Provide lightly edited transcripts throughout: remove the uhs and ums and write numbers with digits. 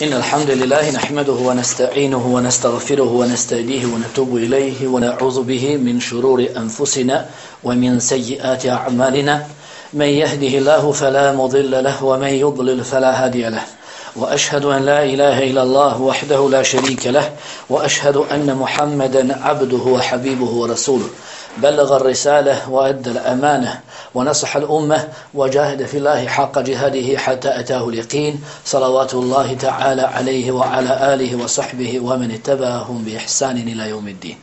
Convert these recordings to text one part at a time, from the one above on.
إن الحمد لله نحمده ونستعينه ونستغفره ونستهديه ونتوب إليه ونعوذ به من شرور أنفسنا ومن سيئات أعمالنا من يهده الله فلا مضل له ومن يضلل فلا هادي له وأشهد أن لا إله إلا الله وحده لا شريك له وأشهد أن محمدا عبده وحبيبه ورسوله بلغ الرسالة وأدى الأمانة ونصح الأمة وجاهد في الله حق جهاده حتى أتاه اليقين صلوات الله تعالى عليه وعلى آله وصحبه ومن اتبعهم بإحسان إلى يوم الدين.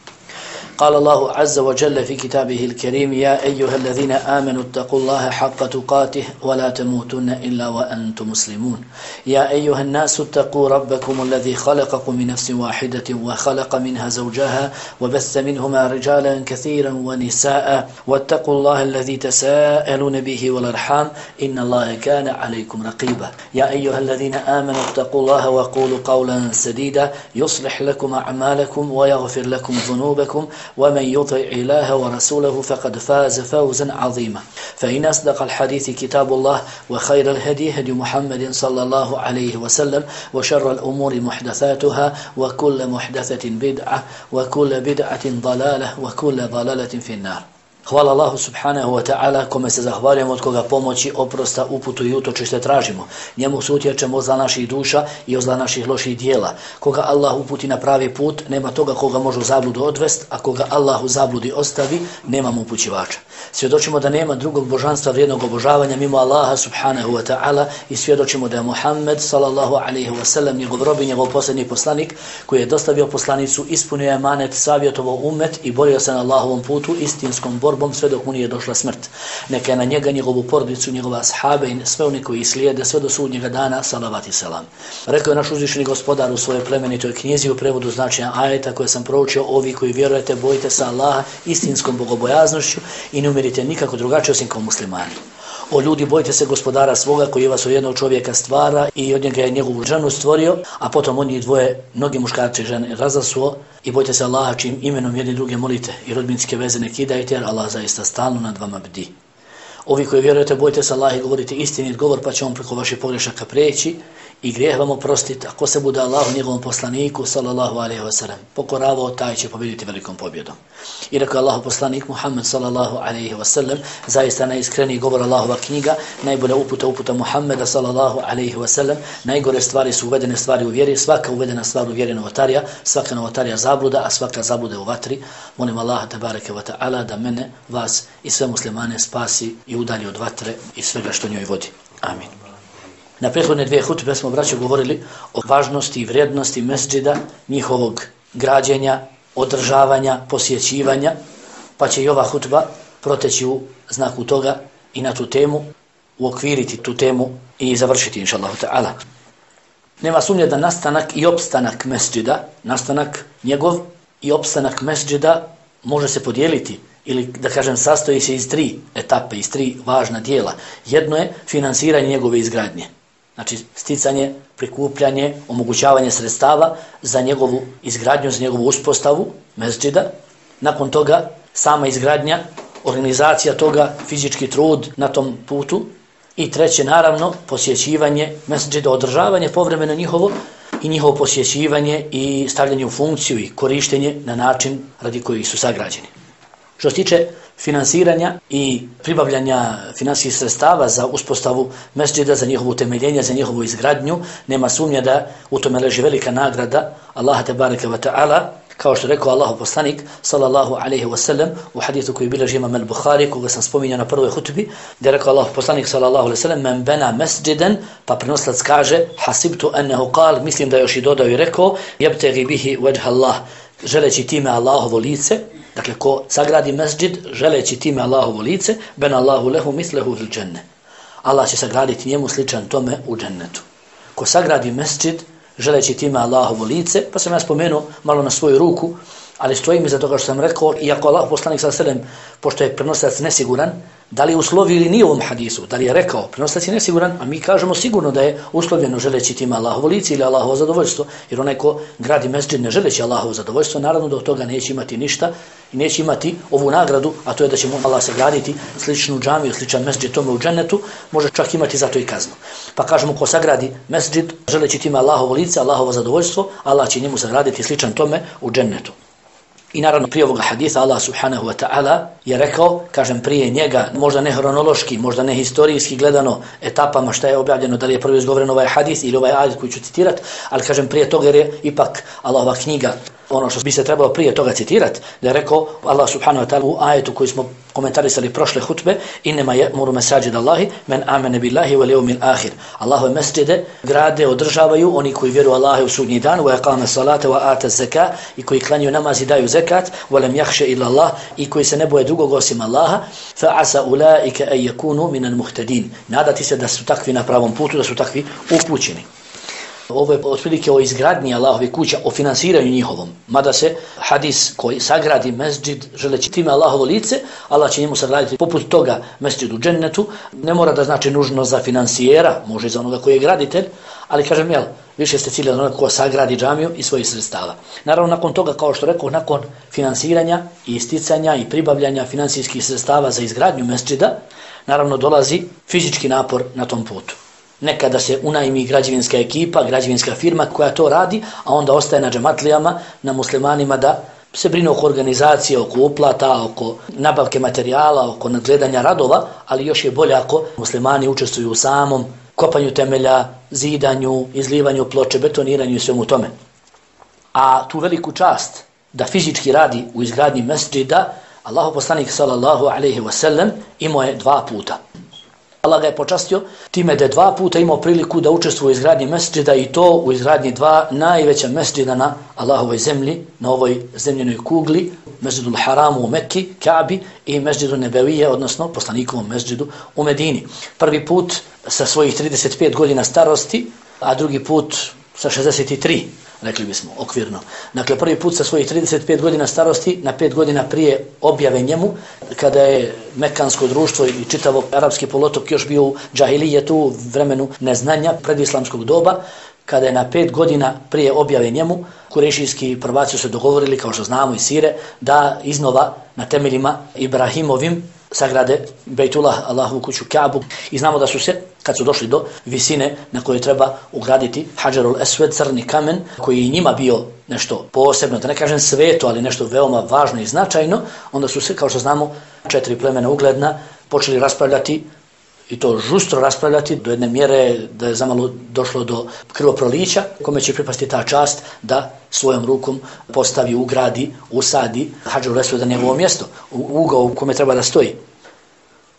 قال الله عز وجل في كتابه الكريم: يا أيها الذين آمنوا اتقوا الله حق تقاته ولا تموتن إلا وأنتم مسلمون. يا أيها الناس اتقوا ربكم الذي خلقكم من نفس واحدة وخلق منها زوجها وبث منهما رجالا كثيرا ونساء واتقوا الله الذي تساءلون به والأرحام إن الله كان عليكم رقيبا. يا أيها الذين آمنوا اتقوا الله وقولوا قولا سديدا يصلح لكم أعمالكم ويغفر لكم ذنوبكم ومن يطع الله ورسوله فقد فاز فوزا عظيما. فإن أصدق الحديث كتاب الله وخير الهدي هدي محمد صلى الله عليه وسلم وشر الأمور محدثاتها وكل محدثة بدعة وكل بدعة ضلالة وكل ضلالة في النار. Hvala Allahu subhanahu wa ta'ala kome se zahvaljujemo, od koga pomoći, oprosta, uputu i utočište tražimo. Njemu se utječemo od zla naših duša i od zla naših loših dijela. Koga Allah uputi na pravi put, nema toga koga može u zabludu odvest, a koga Allah u zabludi ostavi, nema mu upućivača. Svjedočimo da nema drugog božanstva vrijednog obožavanja mimo Allaha subhanahu wa ta'ala i svjedočimo da je Muhammed sallallahu alaihi wa sallam njegov rob i njegov posljednji poslanik koji je dostavio poslanicu, ispunio je emanet, savjetovao umet i borio se na Allahovom putu istinskom borbom sve dok mu nije došla smrt. Neka je na njega, njegovu porodicu, njegova ashabe i sve oni koji slijede sve do sudnjega dana, salavat i selam. Rekao je naš uzvišeni gospodar u svojoj plemenitoj knjizi u prevodu značenja ajeta koje sam proučio: ovi koji vjerujete, bojite se Allaha istinskom bogobojaznošću i ne umirite nikako drugačije osim kao muslimani. O ljudi, bojite se gospodara svoga koji vas od jednog čovjeka stvara i od njega je njegovu ženu stvorio, a potom on njih dvoje, mnogi muškarci i žene razasuo, i bojite se Allaha čim imenom jedni druge molite i rodbinske veze ne kidajte, jer Allah zaista stalno nad vama bdi. Ovi koji vjerujete, bojite se Allaha i govorite istinit govor, pa će on preko vaših pogrešaka preći i grijeh vam oprostiti. Ako se bude Allahu njegovom poslaniku sallallahu alejhi ve sellem pokoravao, taj će pobjediti velikom pobjedom. I rekao Allahu poslanik Muhammed sallallahu alejhi ve sellem: zaista najiskreniji govor Allahova knjiga, najbolja uputa Muhammeda sallallahu alejhi ve sellem, najgore stvari su uvedene stvari u vjeri, svaka uvedena stvar u vjeri novotarija, svaka novotarija zabluda, a svaka zabluda u vatri. Molim Allaha tebareke ve taala da mene, vas i sve muslimane spasi i udalji od vatre i svega što njoj vodi. Amin. Na prethodne dvije hutbe smo, braćo, govorili o važnosti i vrijednosti mesdžida, njihovog građenja, održavanja, posjećivanja, pa će i ova hutba proteći u znaku toga i na tu temu, uokviriti tu temu i završiti, inšallahu ta'ala. Nema sumnje da nastanak i opstanak mesdžida, nastanak njegov i opstanak mesdžida može se podijeliti, ili da kažem sastoji se iz tri etape, iz tri važna dijela. Jedno je finansiranje njegove izgradnje. Znači sticanje, prikupljanje, omogućavanje sredstava za njegovu izgradnju, za njegovu uspostavu mesdžida. Nakon toga sama izgradnja, organizacija toga, fizički trud na tom putu. I treće, naravno, posjećivanje mesdžida, održavanje povremeno njihovo i njihovo posjećivanje i stavljanje u funkciju i korištenje na način radi kojih su sagrađeni. Što se tiče finansiranja i pribavljanja finansijskih sredstava za uspostavu mesdžida, za njihovo utemeljenje, za njihovu izgradnju, nema sumnje da u tome leži velika nagrada Allaha tebareke ve taala, kao što rekao Allahu poslanik sallallahu alejhi ve sellem u hadisu koji bilježi Imam al-Buhari, koga sam spominjao na prvoj hutbi, da je rekao Allahu poslanik sallallahu alejhi ve sellem: men bana masjidan, pa prenoslac kaže: hasibtu annahu qal, mislim da još i dodao i rekao: yabtaghi bihi wajha Allah, želeći time Allahovo lice. Dakle, ko sagradi mesdžid želeći time Allahovo lice, ben Allahu lehu mislehu fil dženne, Allah će sagraditi njemu sličan tome u džennetu. Ko sagradi mesdžid želeći time Allahovo lice, pa sam ja spomenuo malo na svoju ruku, Ali stojim iza toga što sam rekao, iako Allah poslanik sallallahu alejhi ve sellem, pošto je prenosilac nesiguran, da li je uslovio ili nije u ovom hadisu, da li je rekao, prenosilac je nesiguran, a mi kažemo sigurno da je uslovljeno želeći time Allahovo lice ili Allahovo zadovoljstvo, jer onaj ko gradi mesdžid ne želeći Allahovo zadovoljstvo, naravno da od toga neće imati ništa i neće imati ovu nagradu, a to je da će mu Allah sagraditi sličnu džamiju, sličan mesdžid tome u džennetu, može čak imati za to i kaznu. Pa kažemo, ko sagradi mesdžid želeći time Allahovo lice, Allahovo zadovoljstvo, Allah će njemu sagraditi sličan tome u džennetu. I naravno prije ovoga haditha Allah subhanahu wa ta'ala je rekao, kažem prije njega, možda ne hronološki, možda ne historijski gledano etapama šta je objavljeno, da li je prvo izgovoren ovaj hadis ili ovaj ajet koji ću citirat, ali kažem prije toga jer je ipak Allahova knjiga ono što bi se trebalo prije toga citirati, da je rekao Allah subhanahu wa ta'ala u ajetu koji smo komentarisali prošle hutbe, innema ya'muru masajid Allahi men amene billahi wal yawmil akhir. Allahove mesdžide grade, održavaju oni koji vjeruju Allaha u sudnji dan, wa aqama salata wa ata zakat, i koji klanjaju namaz i daju zekat, wa lam yakhsha illa Allah, i koji se ne boje drugog osim Allaha, fa asa ulaika an yakunu min al-muhtadin. Nadati se da su takvi na pravom putu, da su takvi upućeni. Ovo je otprilike o izgradnji Allahove kuća, o finansiranju njihovom. Mada se hadis koji sagradi mesdžid želeći time Allahovo lice, Allah će njemu sagraditi poput toga mesdžid u džennetu. Ne mora da znači nužno za finansijera, može za onoga koji je graditelj, ali kažem više ste ciljali onoga ko sagradi džamiju i svojih sredstava. Naravno nakon toga, kao što rekao, nakon finansiranja i isticanja i pribavljanja finansijskih sredstava za izgradnju mesdžida, naravno dolazi fizički napor na tom putu. Nekada se unajmi građevinska ekipa, građevinska firma koja to radi, a onda ostaje na džematlijama, na muslimanima da se brine oko organizacije, oko uplata, oko nabavke materijala, oko nadgledanja radova, ali još je bolje ako muslimani učestvuju u samom kopanju temelja, zidanju, izlivanju ploče, betoniranju i svemu tome. A tu veliku čast da fizički radi u izgradnji mesdžida, Allahov poslanik sallallahu alejhi ve sellem imao je 2 puta. Allah ga je počastio time da je 2 puta imao priliku da učestvuje u izgradnji mesdžida, i to u izgradnji 2 najveća mesdžida na Allahovoj zemlji, na ovoj zemljenoj kugli, Mesdžidul Haramu u Mekki, Kaabi, i Mesdžidu Nebevije, odnosno poslanikovom mesdžidu u Medini. Prvi put sa svojih 35 godina starosti, a drugi put sa 63, rekli bismo, okvirno. Dakle, prvi put sa svojih 35 godina starosti, na 5 godina prije objave njemu, kada je mekansko društvo i čitavo arapski poluotok još bio u džahilijetu, u vremenu neznanja predislamskog doba, kada je na 5 godina prije objave njemu, kurešijski prvaci su se dogovorili, kao što znamo iz sire, da iznova na temeljima Ibrahimovim sagrade Bejtullah, Allahovu kuću Kaabu, i znamo da su se, kad su došli do visine na kojoj treba ugraditi Hadžarul Esved, crni kamen, koji je njima bio nešto posebno, da ne kažem sveto, ali nešto veoma važno i značajno, onda su se, kao što znamo, 4 plemena ugledna počeli raspravljati, i to žustro raspravljati do jedne mjere da je zamalo došlo do krvoprolića, kome će pripasti ta čast da svojom rukom postavi, ugradi, usadi Hadžarul Esved na njegovo mjesto, u ugao u kome treba da stoji.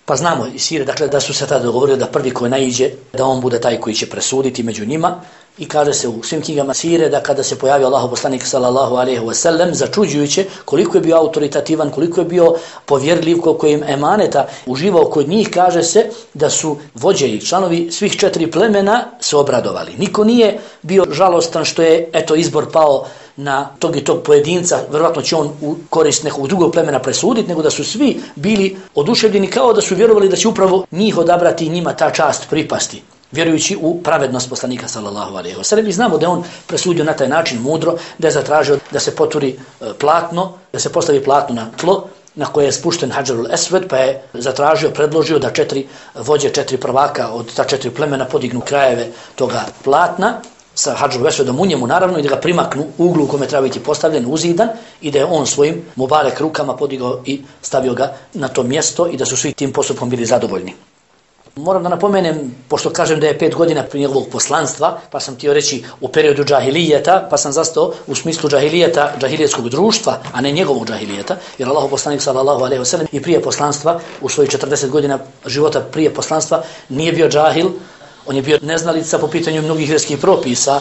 Pa znamo iz sire, dakle, da su se tada dogovorili da prvi koji naiđe, da on bude taj koji će presuditi među njima, i kaže se u svim knjigama sire da kada se pojavio Allahov poslanik sallallahu alejhi ve sellem, začuđujuće koliko je bio autoritativan, koliko je bio povjerljiv, koliko je emaneta uživao kod njih, kaže se da su vođe i članovi svih 4 plemena se obradovali. Niko nije bio žalostan što je izbor pao na tog i tog pojedinca, vjerovatno će on u korist nekog drugog plemena presuditi, nego da su svi bili oduševljeni, kao da su vjerovali da će upravo njih odabrati i njima ta čast pripasti, vjerujući u pravednost poslanika sallallahu alejhi ve sellem. I znamo da on presudio na taj način mudro, da je zatražio da se poturi platno, da se postavi platno na tlo na koje je spušten Hadžarul Esved, pa je zatražio, predložio da 4 vođe, 4 prvaka od ta 4 plemena podignu krajeve toga platna sa Hadžarul Esvedom u njemu, naravno, i da ga primaknu u uglu u kome treba biti postavljen, uzidan, i da je on svojim mubarek rukama podigao i stavio ga na to mjesto, i da su svi tim postupkom bili zadovoljni. Moram da napomenem, pošto kažem da je 5 godina prije njegovog poslanstva, pa sam htio reći u periodu džahilijeta, pa sam zastao u smislu džahilijeta, džahilijetskog društva, a ne njegovog džahilijeta, jer Allahov poslanik sallallahu alejhi ve sellem i prije poslanstva, u svojih 40 godina života prije poslanstva, nije bio džahil, on je bio neznalica po pitanju mnogih vjerskih propisa,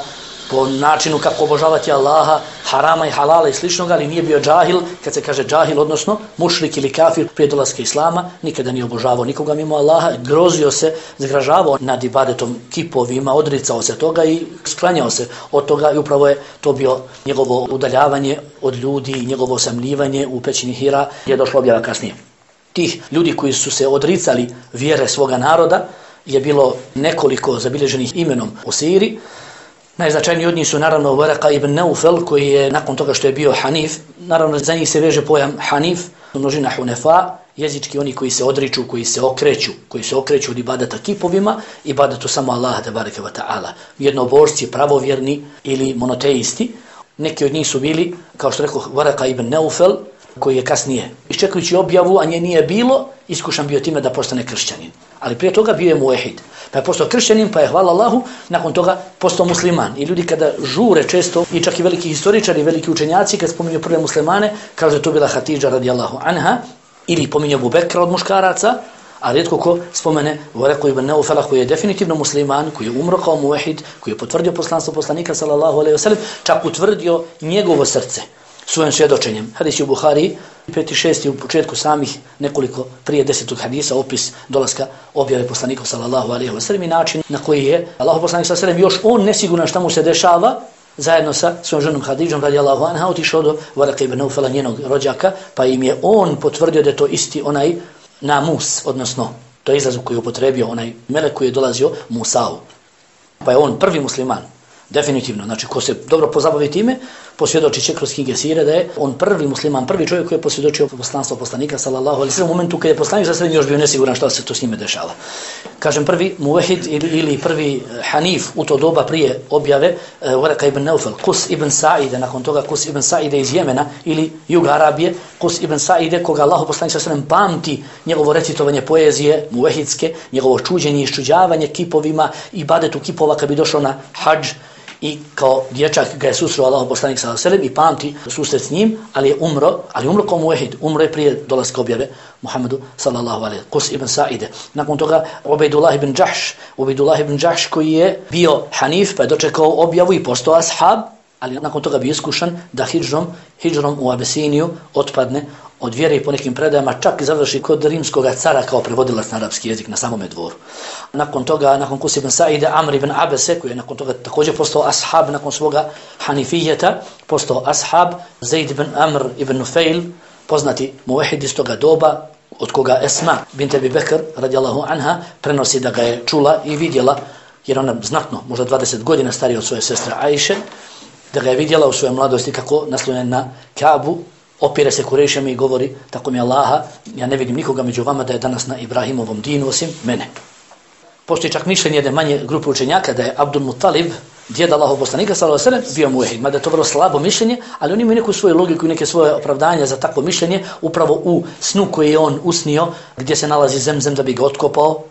po načinu kako obožavati Allaha, harama i halala i sličnog, ali nije bio džahil. Kad se kaže džahil, odnosno mušrik ili kafir prije dolaska islama, nikada nije obožavao nikoga mimo Allaha, grozio se, zgražavao nad ibadetom kipovima, odricao se toga i sklanjao se od toga i upravo je to bio njegovo udaljavanje od ljudi i njegovo osamljivanje u pećini Hira je došlo objava kasnije. Tih ljudi koji su se odricali vjere svoga naroda je bilo nekoliko zabilježenih imenom u Siriji. Najznačajniji od njih su naravno Waraka ibn Naufel, koji je nakon toga što je bio Hanif, naravno za njih se veže pojam Hanif, množina Hunefa, jezički oni koji se odriču, koji se okreću od ibadata kipovima, ibadatu samo Allaha tebareke ve taala. Jednobožci, pravovjerni ili monoteisti. Neki od njih su bili, kao što rekao, Waraka ibn Naufel, koji je kasnije, iščekujući objavu, a nje nije bilo, iskušan bio time da postane kršćanin. Ali prije toga bio je muehid. Pa je postao kršćanin, pa je, hvala Allahu, nakon toga postao musliman. I ljudi kada žure često, i čak i veliki historičari, veliki učenjaci, kad spominju prve muslimane, kažu da je to bila Hatidža radijallahu anha, ili pominju Abu Bekra od muškaraca, a rijetko ko spomene Waraqu ibn Naufela, koji je definitivno musliman, koji je umro kao muehid, koji je potvrdio poslanstvo poslanika sallallahu alejhi ve sellem, čak utvrdio njegovo srce svojim svjedočenjem. Hadis je u Buhari, 5. i 6. u početku samih nekoliko prije 10. hadisa, opis dolaska objave poslanika sallallahu alejhi ve sellem i način na koji je Allahov poslanik sallallahu alejhi ve sellem još on nesiguran šta mu se dešava, zajedno sa svojom ženom Hadidžom radijallahu anha otišao do Waraka ibn Naufela, njenog rođaka, pa im je on potvrdio da je to isti onaj namus, odnosno to je izraz koji je upotrebio onaj melek koji je dolazio Musa'u. Pa je on prvi musliman. Definitivno, znači ko se dobro pozabavi time, posvjedočit će kroz knjige sire da je on prvi musliman, prvi čovjek koji je posvjedočio poslanstvo poslanika sallallahu alejhi ve sellem u momentu kad je poslanik sallallahu alejhi ve sellem još bio nesiguran šta se to s njime dešava. Kažem prvi muvahid ili prvi hanif u to doba prije objave Waraka ibn Naufel, Qus ibn Sa'ide, nakon toga Qus ibn Sa'ide iz Jemena ili juga Arabije, Qus ibn Sa'ide koga Allahu poslanik sallallahu alejhi ve sellem pamti njegovo recitovanje poezije muvahidske, njegovo čuđenje i iščuđavanje kipovima, ibadetu kipova kad bi došao na hadž. I kao dječak ga je susreo Allahov poslanik sallallahu alejhi ve sellem i pamti susret s njim, ali je umro kao muehid, umro je prije dolaska objave Muhammedu sallallahu alejhi Qus ibn Sa'ide. Nakon toga Ubejdullah ibn Jahš koji je bio hanif, pa je dočekao objavu i postao ashab, ali nakon toga bio iskušan da hidžrom u Abesiniju otpadne od vjere i po nekim predajama čak i završi kod rimskog cara kao prevodilac na arapski jezik na samome dvoru. Nakon toga, nakon Qus ibn Sa'ide, Amr ibn Abese, koji je nakon toga također postao ashab nakon svoga hanifijeta, postao ashab, Zaid ibn Amr ibn Nufail, poznati muvahid iz toga doba, od koga Esma bint Abi Bekr radijallahu anha prenosi da ga je čula i vidjela, jer ona znatno, možda 20 godina starija od svoje sestre Ajše, da ga je vidjela u svojoj mladosti kako naslonjen na Kaabu, opire se Kurejšem i govori, tako mi Allaha, ja ne vidim nikoga među vama da je danas na Ibrahimovom dinu osim mene. Postoji čak mišljenje jedne manje grupe učenjaka da je Abdul Muttalib, djed Allahov poslanika sallallahu alejhi ve sellem, bio muehid, mada je to vrlo slabo mišljenje, ali oni imaju neku svoju logiku i neke svoje opravdanja za takvo mišljenje, upravo u snu koji je on usnio, gdje se nalazi Zemzem da bi ga otkopao.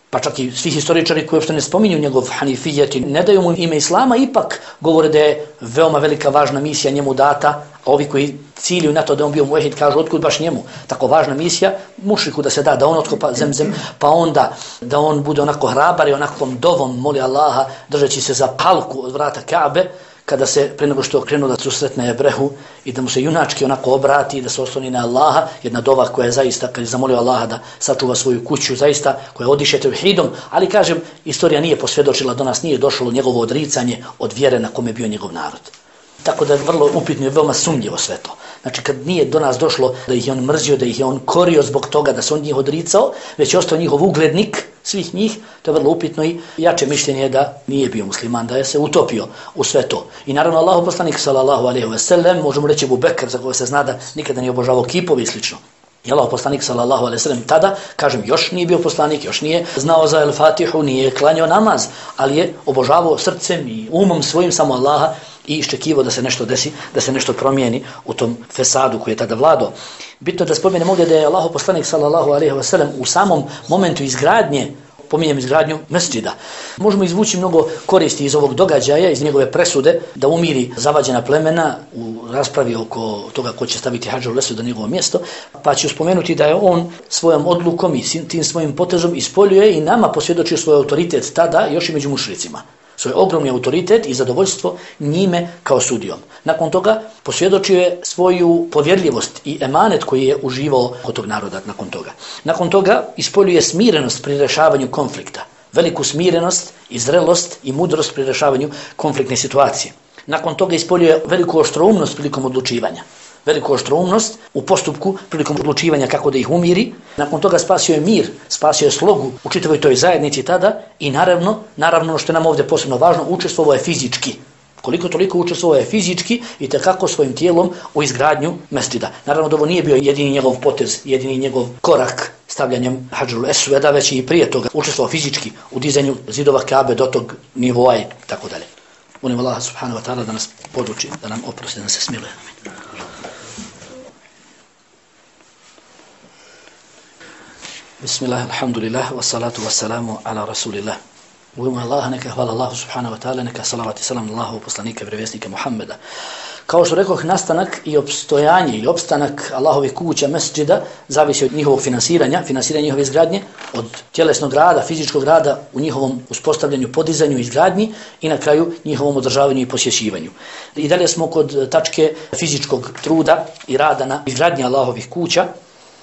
Pa čak i svi historičari koji uopšte ne spominju njegov hanifijet i ne daju mu ime islama, ipak govore da je veoma velika važna misija njemu data, a ovi koji ciljuju na to da on bio muehid kažu otkud baš njemu tako važna misija, mušriku da se da on otkopa Zemzem, pa onda da on bude onako hrabar i onakvom dovom moli Allaha držeći se za palku od vrata Kaabe, kada se pre nego što krenuo da susretne Ebrehu i da mu se junački onako obrati i da se osloni na Allaha, jedna dova koja je zaista, kad je zamolio Allaha da sačuva svoju kuću, zaista koja odiše tevhidom, ali kažem, istorija nije posvjedočila, do nas nije došlo njegovo odricanje od vjere na kome je bio njegov narod. Tako da je vrlo upitno i veoma sumnjivo sve to. Znači kad nije do nas došlo da ih je on mrzio, da ih je on korio zbog toga da se on njih odricao, već je ostao njihov uglednik svih njih, to je vrlo upitno i jače mišljenje je da nije bio musliman, da je se utopio u sve to. I naravno Allahov poslanik sallallahu alejhi ve sellem, možemo reći Abu Bekr, za koga se zna da nikada nije obožavao kipove i slično. I Allahov poslanik sallallahu alejhi ve sellem tada, kažem, još nije bio poslanik, još nije znao za El-Fatihu, nije klanjao namaz, ali je obožavao srcem i umom svojim samo Allaha i iščekivao da se nešto desi, da se nešto promijeni u tom fesadu koji je tada vladao. Bitno da spomenem ovdje da je Allahov poslanik sallallahu alejhi ve sellem u samom momentu izgradnje, pominjem izgradnju mesdžida, možemo izvući mnogo koristi iz ovog događaja, iz njegove presude, da umiri zavađena plemena u raspravi oko toga ko će staviti Hadžul Esved na njegovo mjesto, pa ću spomenuti da je on svojom odlukom i tim svojim potezom ispoljuje i nama posvjedočio svoj autoritet tada još i među mušricima. svoj ogromni autoritet i zadovoljstvo njime kao sudijom. Nakon toga posvjedočio je svoju povjerljivost i emanet koji je uživao od tog naroda nakon toga. Nakon toga ispoljuje smirenost pri rješavanju konflikta, veliku smirenost i zrelost i mudrost pri rješavanju konfliktne situacije. Nakon toga ispoljuje veliku oštroumnost prilikom odlučivanja. Veliku oštroumnost u postupku prilikom odlučivanja kako da ih umiri. Nakon toga spasio je mir, spasio je slogu u čitavoj toj zajednici tada i naravno što je nam ovdje posebno važno, učestvovao je fizički. Koliko toliko učestvovao je fizički i tekako svojim tijelom u izgradnju mesdžida. Naravno da ovo nije bio jedini njegov potez, jedini njegov korak stavljanjem Hadžarul Esveda, već i prije toga učestvovao fizički u dizanju zidova Kabe do tog nivoa i tako dalje. Molim Allah subhanahu wa ta'ala da nas poduči, da nam oprosti, da nas se smiluje. Bismillah, alhamdulillah, wassalatu wassalamu ala rasulillah. U ime Allaha neka hvala Allahu subhanahu wa ta'ala, neka salavat i salam Allahu poslanika i vjerovjesnika Muhammeda. Kao što rekoh, nastanak i opstojanje ili opstanak Allahovih kuća, mesdžida, zavisi od njihovog finansiranja njihove izgradnje, od tjelesnog rada, fizičkog rada u njihovom uspostavljanju, podizanju, izgradnji i na kraju njihovom održavanju i posjećivanju. I dalje smo kod tačke fizičkog truda i rada na izgradnji Allahovih kuća.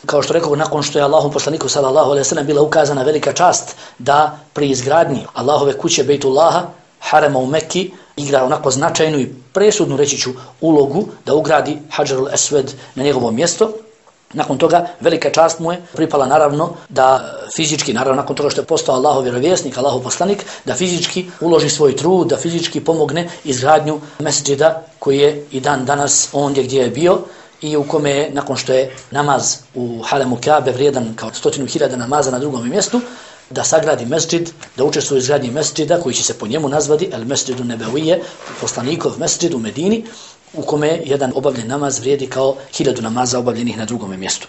Kao što rekao, nakon što je Allahom poslaniku sallallahu alejhi ve sellem bila ukazana velika čast da pri izgradnji Allahove kuće Bejtullaha, harema u Mekki, igra onako značajnu i presudnu, reći ću, ulogu da ugradi Hadžarul Esved na njegovo mjesto. Nakon toga velika čast mu je pripala naravno da fizički, naravno nakon toga što je postao Allahov vjerovjesnik, Allahov poslanik, da fizički uloži svoj trud, da fizički pomogne izgradnju mesdžida koji je i dan danas ondje gdje je bio i u kome je, nakon što je namaz u haremu Kabe vrijedan kao 100.000 namaza na drugom mjestu, da sagradi mesdžid, da učestvuje u izgradnji mesdžida koji će se po njemu nazvati El Mesdžidu Nebevije, poslanikov mesdžid u Medini, u kome jedan obavljen namaz vrijedi kao 1000 namaza obavljenih na drugom mjestu.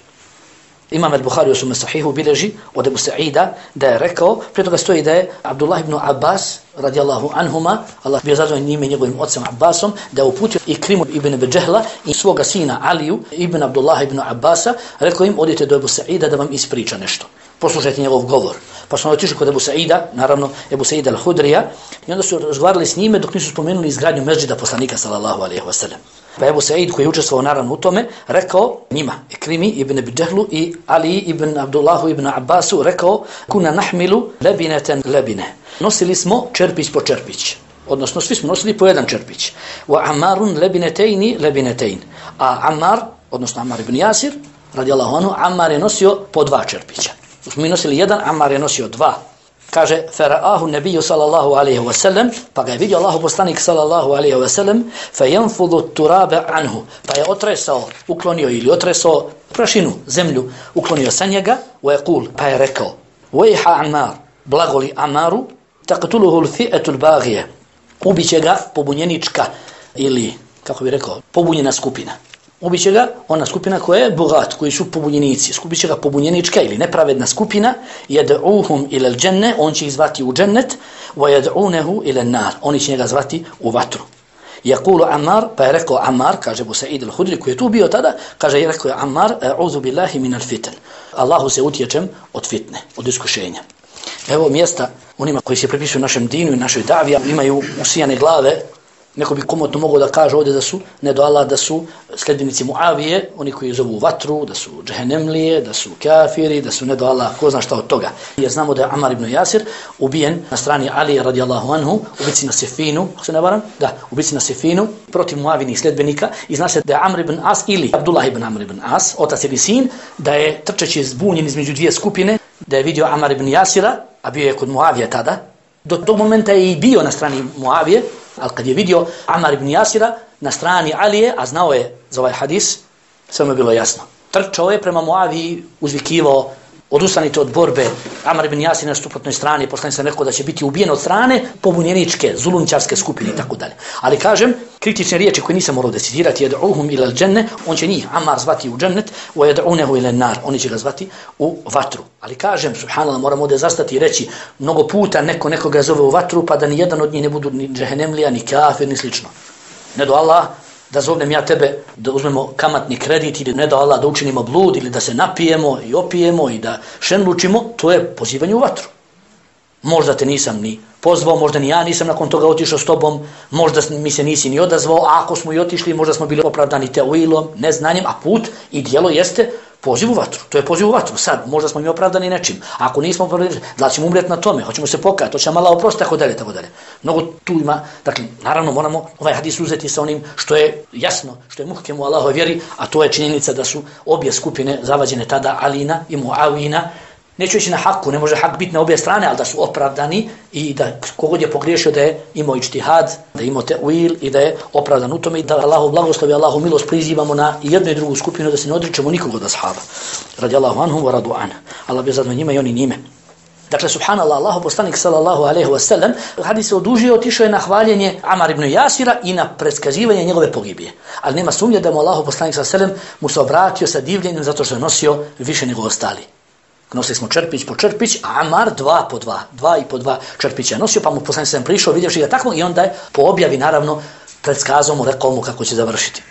Imam al-Buhari u svome sahihu bilježi od Ebu Sa'ida da je rekao, prije toga stoji da je Abdullah ibn Abbas radijallahu anhuma, Allah bio zadovoljan njime njegovim ocem Abbasom, da je uputio Ikrimu ibn Abi Džehla i svoga sina Aliju ibn Abdullah ibn Abbasa, rekao im, odite do Ebu Sa'ida da vam ispriča nešto. Poslušajte njegov govor. Pa smo otišli kod Ebu Sa'ida, naravno Ebu Sa'ida al-Hudrija, i onda su razgovarali s njime dok nisu spomenuli izgradnju mesdžida poslanika sallallahu alejhi ve sellem. Pa Ebu Sa'id, koji je učestvovao naravno u tome, rekao njima, Ikrimi ibn Abi Džehlu i Ali ibn Abdullahu ibn Abbasu, rekao, kuna nahmilu lebineten lebine. Nosili smo čerpić po čerpić. Odnosno, svi smo nosili po jedan čerpić. Wa Ammarun lebinetejni lebinetejn. A Ammar, odnosno Ammar ibn Jasir, radijallahu anhu, Ammar je nosio po 2 čerpića. Mi nosili jedan, Ammar je nosio 2. Kaže, fara'ahu nebiju sallallahu alaihi wa sallam, pa ga je vidio Allahu poslanik sallallahu alaihi wa sallam, fa yanfudu turabe anhu, pa je otresao prašinu, zemlju, uklonio sa njega, wa yaqul, pa je rekao, vejha Ammar, blagoli Ammaru, taqtuluhu l-fi'atu l-baghije, ubiće ga pobunjenička, ili, kako bi rekao, pobunjena skupina. Ubiće ga ona skupina koja je bogat, koji su pobunjenici. Ubiće ga pobunjenička ili nepravedna skupina. Yad'uhum ila al-janna, on će ih zvati u džennet, wa yad'unahu ila an-nar, oni će njega zvati u vatru. Yaqulu Ammar, pa je rekao Ammar, kaže Abu Sa'id al-Hudri koji je tu bio tada, kaže je rekao Ammar, a'udhu billahi min al-fitan. Allahu se utječem od fitne, od iskušenja. Evo mjesta onima koji se pripisuju našem dinu i našoj davi, imaju usijane glave. Neko bi komotno mogao da kaže ovdje da su, ne do Allah, da su sljedbenici Muavije, oni koji zovu vatru, da su džehennemlije, da su kafiri, da su ne do Allah, ko zna šta od toga. Jer znamo da je Ammar ibn Jasir ubijen na strani Ali radijallahu anhu, ubici na Sifinu, ako se ne varam, da, ubici na Sifinu, protiv Muavinih sljedbenika, i zna se da je Amr ibn As ili Abdullah ibn Amr ibn As, otac ili sin, da je trčeći zbunjen između dvije skupine, da je vidio Ammar ibn Jasira, a bio je kod Muavije tada, do tog momenta je i bio na strani Muavije, ali kad je vidio Ammar ibn Jasira na strani Alije, a znao je za ovaj hadis, sve mu je bilo jasno. Trčao je prema Muaviji, uzvikivao, odustanite od borbe, Ammar ibn Jasir na suprotnoj strani, poslanik se rekao da će biti ubijen od strane pobunjeničke, zulumčarske skupine i tako dalje. Ali kažem, kritične riječi koje nisam morao decidirati, yad'uhum ila al-janna, on će njih Ammar zvati u džennet, wa yad'unahu ila an-nar, oni će ga zvati u vatru. Ali kažem, subhanallah, moramo ovdje zastati i reći, mnogo puta nekoga zove u vatru, pa da ni jedan od njih ne budu ni džehennemlija, ni kafir, ni slično. Ne do Allah da zovnem ja tebe da uzmemo kamatni kredit ili ne do Allah da učinimo blud ili da se napijemo i opijemo i da šenlučimo, to je pozivanje u vatru. Možda te nisam ni pozvao, možda ni ja nisam nakon toga otišao s tobom, možda mi se nisi ni odazvao, a ako smo i otišli, možda smo bili opravdani tevilom, neznanjem, a put i djelo jeste poziv u vatru. To je poziv u vatru. Sad, možda smo mi opravdani nečim. A ako nismo opravdani, da ćemo umrijeti na tome, hoćemo se pokajati, hoćemo Allah oprostiti, tako dalje, tako dalje. Mnogo tu ima, dakle, naravno moramo ovaj hadis uzeti sa onim što je jasno, što je muhkemu Allahove vjeri, a to je činjenica da su obje skupine zavađene tada, Alina i Muavina. Neću ići na haku, ne može hak biti na obje strane, ali da su opravdani i da kogod je pogriješio da je imao ičtihad, da je imao te'wil i da je opravdan u tome i da Allahu blagoslovi, Allahu milost prizivamo na jednu i drugu skupinu da se ne odričemo nikog od ashaba. Radi Allahu anhum wa radu ana. Allah bi zadovoljni njima i oni njime. Dakle, subhanallah, Allahu poslanik sallallahu alejhi ve sellem, hadis se odužio, otišao je na hvaljenje Amar ibn Jasira i na predskazivanje njegove pogibije. Ali nema sumnje da mu Allahu poslanik sallallahu alejhi ve sellem mu se obratio sa divljenjem zato što je nosio više nego ostali. Nosili smo čerpić po čerpić, a Amar dva i po dva čerpića nosio, pa mu poslanik sallallahu prišao, vidjevši ga takvog i onda je po objavi naravno predskazao mu, rekao mu kako će završiti.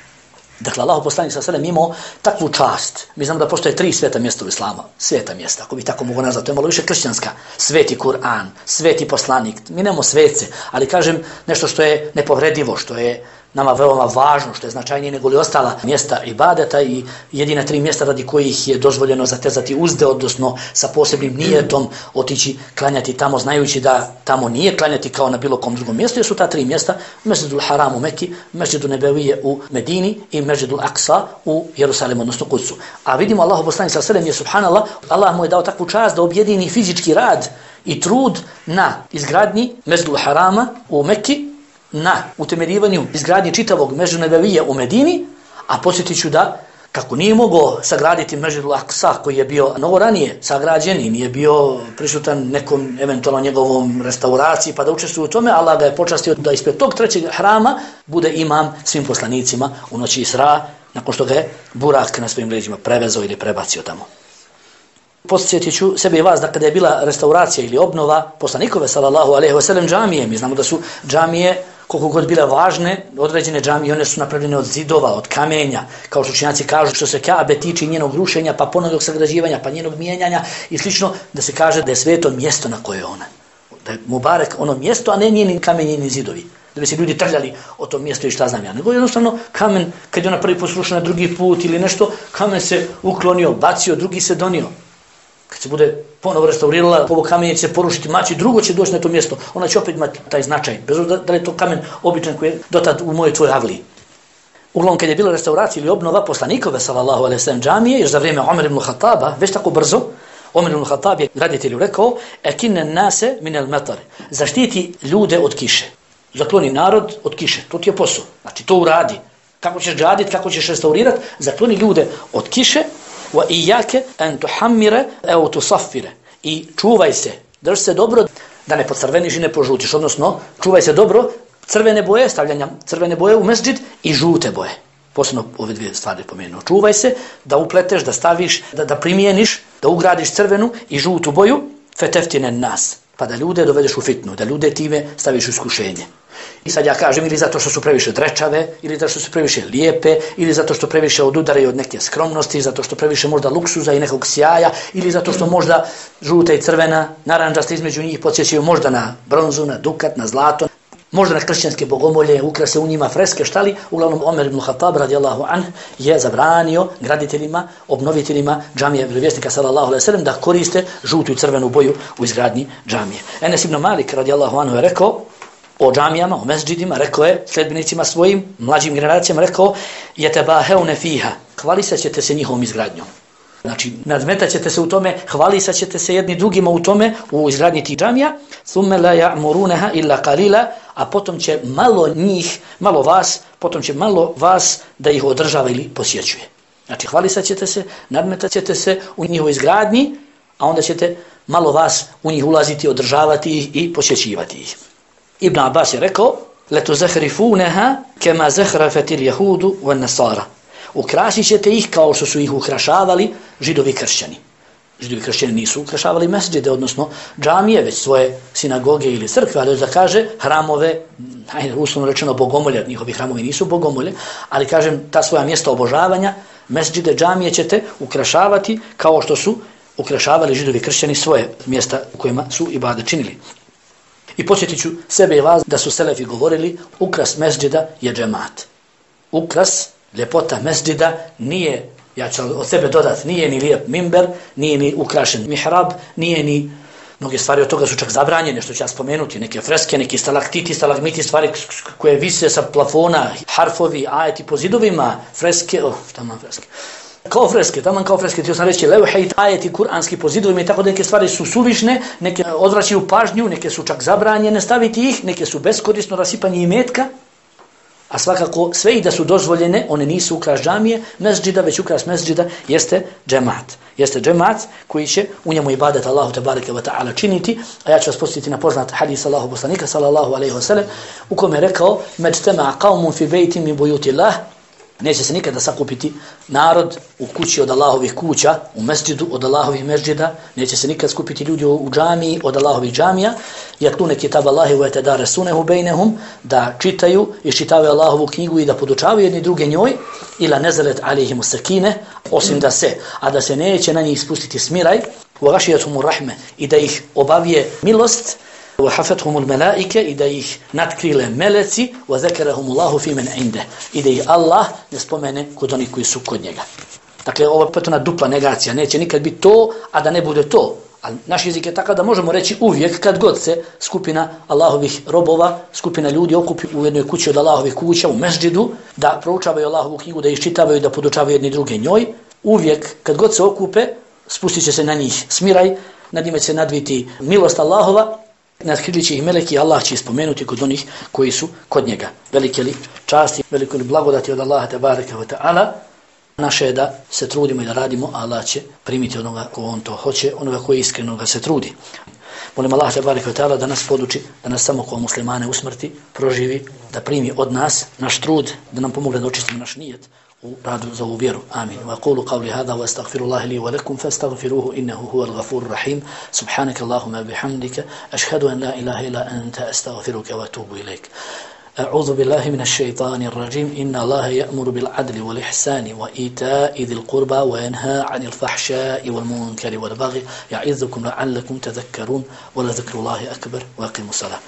Dakle, Allahu poslanik sallallahu imao takvu čast. Mi znamo da postoje 3 sveta mjesta u islamu. Sveta mjesta, ako bi tako mogu nazvati, to je malo više kršćanska. Sveti Kur'an, sveti poslanik. Mi nemamo svece, ali kažem nešto što je nepovredivo, što je nama veoma važno, što je značajnije nego li ostala mjesta ibadeta i jedina 3 mjesta radi kojih je dozvoljeno zatezati uzde, odnosno sa posebnim nijetom otići klanjati tamo, znajući da tamo nije klanjati kao na bilo kom drugom mjestu, jer su ta 3 mjesta, Mesdžidul Haram u Meki, Mesdžidul Nebevije u Medini i Mesdžidul Aqsa u Jerusalimu, odnosno Kudsu. A vidimo Allahu poslanik sallallahu alejhi ve sellem je subhanallah, Allah mu je dao takvu čast da objedini fizički rad i trud na izgradnji Mesdžidul Harama u Meki, na utemeljivanju izgradnje čitavog Mesdžida Nebevije u Medini, a podsjetit ću da kako nije mogao sagraditi Mesdžidul Aqsa koji je bio mnogo ranije sagrađen i nije bio prisutan nekom eventualno njegovom restauraciji pa da učestvuje u tome, Allah ga je počastio da ispred tog 3. hrama bude imam svim poslanicima u noći Isra, nakon što ga je Burak na svojim leđima prevezao ili prebacio tamo. Podsjetit ću sebe i vas da kada je bila restauracija ili obnova poslanikove sallallahu alejhi ve sellem džamije, mi znamo da su džamije koliko god bile važne, određene džamije, one su napravljene od zidova, od kamenja, kao što učenjaci kažu što se Kabe tiče njenog rušenja, pa ponovnog sagrađivanja, pa njenog mijenjanja i slično, da se kaže da je sveto mjesto na koje je ona. Da je Mubarek ono mjesto, a ne njeni kamenje ni zidovi. Da bi se ljudi trljali o tom mjestu i šta znam ja. Nego jednostavno kamen, kad je ona prvi put srušena drugi put ili nešto, kamen se uklonio, bacio, drugi se donio. Kad se bude ponovo restaurirala, ovo kamenje će se porušiti, mači, drugo će doći na to mjesto, ona će opet imati taj značaj, bez obzira da je to kamen običan koji je dotad u moje tvoj avliji. Uglavnom, kad je bila restauracija ili obnova poslanikove, sallallahu alejhi ve sellem džamije, još za vrijeme Omer ibn Khattaba, već tako brzo, Omer ibn Khattab je graditelju rekao, ekinne nase minel metar, zaštiti ljude od kiše, zakloni narod od kiše, to ti je posao, znači to uradi. Kako ćeš graditi, kako ćeš restaurirati, zakloni ljude od kiše, wa iyake an tuhammira aw tusaffira, i čuvaj se, drž se dobro da ne pocrveniš i ne požutiš, odnosno čuvaj se dobro crvene boje, stavljanja crvene boje u mesdžid i žute boje. Posebno ove 2 stvari pomenuo. Čuvaj se da upleteš, da staviš, da primijeniš, da ugradiš crvenu i žutu boju, feteftine nas, pa da ljude dovedeš u fitnu, da ljude time staviš u iskušenje. I sad ja kažem, ili zato što su previše drečave, ili zato što su previše lijepe, ili zato što previše odudaraju od neke skromnosti, zato što previše možda luksuza i nekog sjaja, ili zato što možda žuta i crvena, naranđasta između njih podsjećaju možda na bronzu, na dukat, na zlato, možda na kršćanske bogomolje, ukrase u njima freske, štali. Uglavnom, Omer ibn Khattab radijallahu anh je zabranio graditeljima, obnoviteljima džamije vjerovjesnika sallallahu alejhi ve sellem da koriste žutu i crvenu boju u izgradnji džamije. Enes ibn Malik radijallahu anhu je rekao o džamijama, o mesdžidima, rekao je sledbenicima svojim, mlađim generacijama, rekao yatabahauna fiha, hvalisat ćete se njihovom izgradnjom. Znači, nadmetat ćete se u tome, hvalisat ćete se jedni drugima u tome, u izgradnji tih džamija, thumma la ya'murunaha illa qalila, a potom će malo vas da ih održava ili posjećuje. Znači, hvalisat ćete se, nadmetat ćete se u njihovoj izgradnji, a onda ćete malo vas u njih ulaziti, održavati ih i posjećivati ih. Ibn Abbas je rekao, letuzahrifunaha kama zahrafatil yahudu wan nasara. Ukrasit ćete ih kao što su ih ukrašavali židovi kršćani. Židovi kršćani nisu ukrašavali mesdžide, odnosno džamije, već svoje sinagoge ili crkve, ali da kaže hramove, uslovno rečeno bogomolje, njihovi hramovi nisu bogomolje, ali kažem ta svoja mjesta obožavanja, mesdžide, džamije ćete ukrašavati kao što su ukrašavali Židovi kršćani svoje mjesta u kojima su ibadet činili. I podsjetit ću sebe i vas da su selefi govorili ukras mesdžida je džemat. Ukras, ljepota mesdžida nije, ja ću od sebe dodati, nije ni lijep mimber, nije ni ukrašen mihrab, nije ni, mnoge stvari od toga su čak zabranjene, što ću ja spomenuti, neke freske, neki stalaktiti, stalagmiti, stvari koje vise sa plafona, harfovi, ajeti po zidovima, freske, taman freske. Taman kao freske, ti sam reći, levhejt, ajeti kuranski po zidovima i tako da neke stvari su suvišne, neke odvraćaju pažnju, neke su čak zabranjene staviti ih, neke su beskorisno rasipanje imetka, a svakako sve i da su dozvoljene, one nisu ukras džamije, mesdžida, već ukras mesdžida jeste džemat. Jeste džemat koji će u njemu ibadet Allahu tebareke ve ta'ala činiti, a ja ću vas podsjetiti na poznat hadis Allahu poslanika sallallahu alejhi ve sellem u kome je rekao: "Majtama qaumun fi baytin min buyutillah", neće se nikada sakupiti narod u kući od Allahovih kuća, u mesdžidu od Allahovih mesdžida, neće se nikad skupiti ljudi u džamiji od Allahovih džamija, yatluna kitab Allahi wa yatadarasunahu bainahum, da čitaju i čitavaju Allahovu knjigu i da podučavaju jedni druge njoj, ila nazalat alejhimus sakine, osim da se neće na njih spustiti smiraj, wa ghashiyatuhumur rahme, i da ih obavije milost, وحفتهم الملائكة إذا ih natkrile meleci وذكرهم الله في من عنده إذا ih Allah ne spomene kod onih koji su kod njega. Dakle, ovo je potpuno dupla negacija, neće nikad biti to, a da ne bude to. Ali naš jezik je takav da možemo reći uvijek kad god se skupina Allahovih robova, skupina ljudi okupi u jednoj kući od Allahovih kuća, u mesdžidu, da proučavaju Allahovu knjigu, da iščitavaju, da podučavaju jedni druge njoj, uvijek kad god se okupe, spustit će se na njih smiraj, nad njima će se nadviti milost Allahova, natkrilit će ih meleki, Allah će spomenuti kod onih koji su kod njega. Velike li časti, veliko li blagodati od Allaha tebareke ve ta'ala. Naše je da se trudimo i da radimo, a Allah će primiti onoga ko on to hoće, onoga koji iskreno ga se trudi. Molim Allah tebareke ve ta'ala da nas poduči, da nas samo kao muslimane usmrti, proživi, da primi od nas naš trud, da nam pomogne da očistimo naš nijet u radu za ovu vjeru. Amin. Wa aqulu qawli hadha wa astaghfirullaha li wa lakum fastaghfiruhu innahu huwal ghafurur rahim. Subhanaka Allahumma bihamdika ashhadu an la ilaha illa anta astaghfiruka wa atubu ilayk. أعوذ بالله من الشيطان الرجيم إن الله يأمر بالعدل والإحسان وإيتاء ذي القربى وينهى عن الفحشاء والمنكر والبغي يعظكم لعلكم تذكرون ولذكر الله أكبر وأقيموا الصلاة.